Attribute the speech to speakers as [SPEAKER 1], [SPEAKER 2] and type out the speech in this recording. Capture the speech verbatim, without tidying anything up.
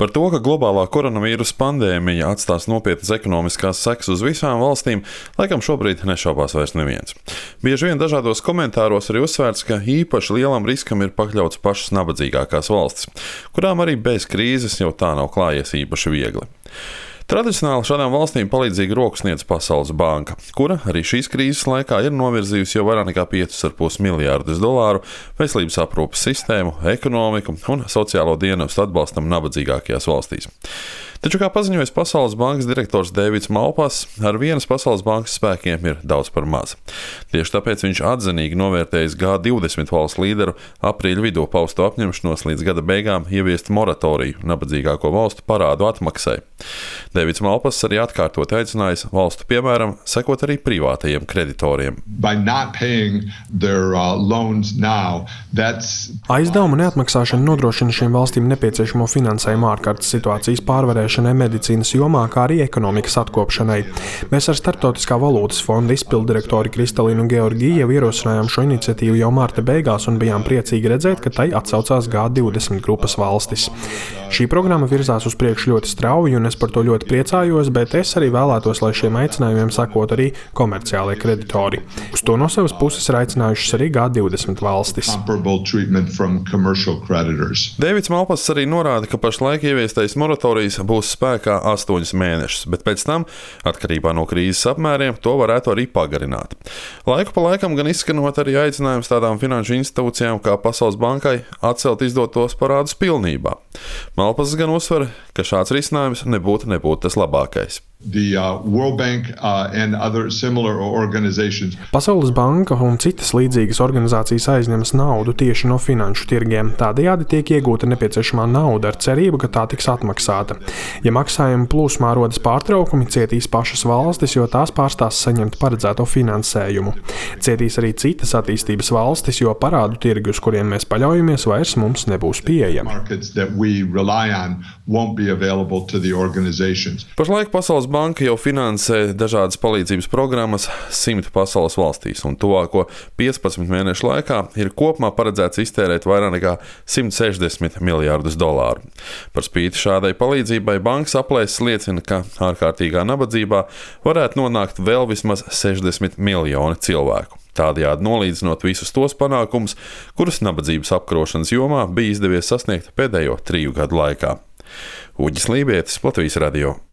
[SPEAKER 1] Par to, ka globālā koronavīrusa pandēmija atstās nopietnas ekonomiskās sekas uz visām valstīm, laikam šobrīd nešaubās vairs neviens. Bieži vien dažādos komentāros arī uzsvērts, ka īpaši lielam riskam ir pakļauts pašas nabadzīgākās valstis, kurām arī bez krīzes jau tā nav klājies īpaši viegli. Tradicionāli šādām valstīm palīdzīgu roku sniedz Pasaules banka, kura arī šīs krīzes laikā ir novirzījusi jau vairāk nekā piecus ar pus miljārdus dolāru veselības aprūpes sistēmu, ekonomiku un sociālo dienestu atbalstam nabadzīgākajās valstīs. Taču, kā paziņojis Pasaules bankas direktors Deivids Malpass, ar vienas Pasaules bankas spēkiem ir daudz par maz. Tieši tāpēc viņš atzinīgi novērtējis G divdesmit valstu līderu aprīļa vidū pausto apņemšanos līdz gada beigām ieviest moratoriju nabadzīgāko valstu parādu atmaksai. Deivids Malpass arī atkārtot aicinājis valstu piemēram sekot arī privātajiem kreditoriem.
[SPEAKER 2] Their, uh, now,
[SPEAKER 3] Aizdevumu neatmaksāšana nodrošina šīm valstīm nepieciešamo finansējumu ārkārtas situācijas pārvarēšanai medicīnas jomā, kā arī ekonomikas atkopšanai. Mēs ar Starptautiskā valūtas fonda izpilddirektori Kristalīnu Georgiju jau ierosinājām šo iniciatīvu jau marta beigās un bijām priecīgi redzēt, ka tai atsaucās G divdesmit grupas valstis. Šī programma virzās uz priekšu ļoti strauji, un es par to ļoti priecājos, bet es arī vēlētos, lai šiem aicinājumiem sakot arī komerciālie kreditori. Uz to no savas puses ir aicinājušas arī G divdesmit valstis.
[SPEAKER 1] Deivids Malpass arī norāda, ka pašlaik ieviestais moratorijas būs spēkā astoņus mēnešus, bet pēc tam, atkarībā no krīzes apmēriem, to varētu arī pagarināt. Laiku pa laikam gan izskanot arī aicinājums tādām finanšu institūcijām kā Pasaules bankai atcelt izdotos parādus pilnībā. Malpass gan uzsver, ka šāds risinājums nebūtu, nebūtu tas labākais.
[SPEAKER 2] The, uh, World Bank, uh, and other similar organizations.
[SPEAKER 3] Pasaules banka un citas līdzīgas organizācijas aizņemas naudu tieši no finanšu tirgiem. Tādējādi tiek iegūta nepieciešamā nauda ar cerību, ka tā tiks atmaksāta. Ja maksājuma plūsmā rodas pārtraukumi, cietīs pašas valstis, jo tās pārstās saņemt paredzēto finansējumu. Cietīs arī citas attīstības valstis, jo parādu tirgi, uz kuriem mēs paļaujamies, vairs mums nebūs pieejami.
[SPEAKER 1] Pašlaik Pasaules banka jau finansē dažādas palīdzības programmas simt pasaules valstīs, un tuvāko piecpadsmit mēnešu laikā ir kopumā paredzēts iztērēt vairāk nekā simt sešdesmit miljārdus dolāru. Par spīti šādai palīdzībai bankas aplēses liecina, ka ārkārtīgā nabadzībā varētu nonākt vēl vismaz sešdesmit miljoni cilvēku. Tādējādi nolīdzinot visus tos panākumus, kurus nabadzības apkarošanas jomā bija izdevies sasniegt pēdējo triju gadu laikā. Uģis Lībietis, Latvijas radio.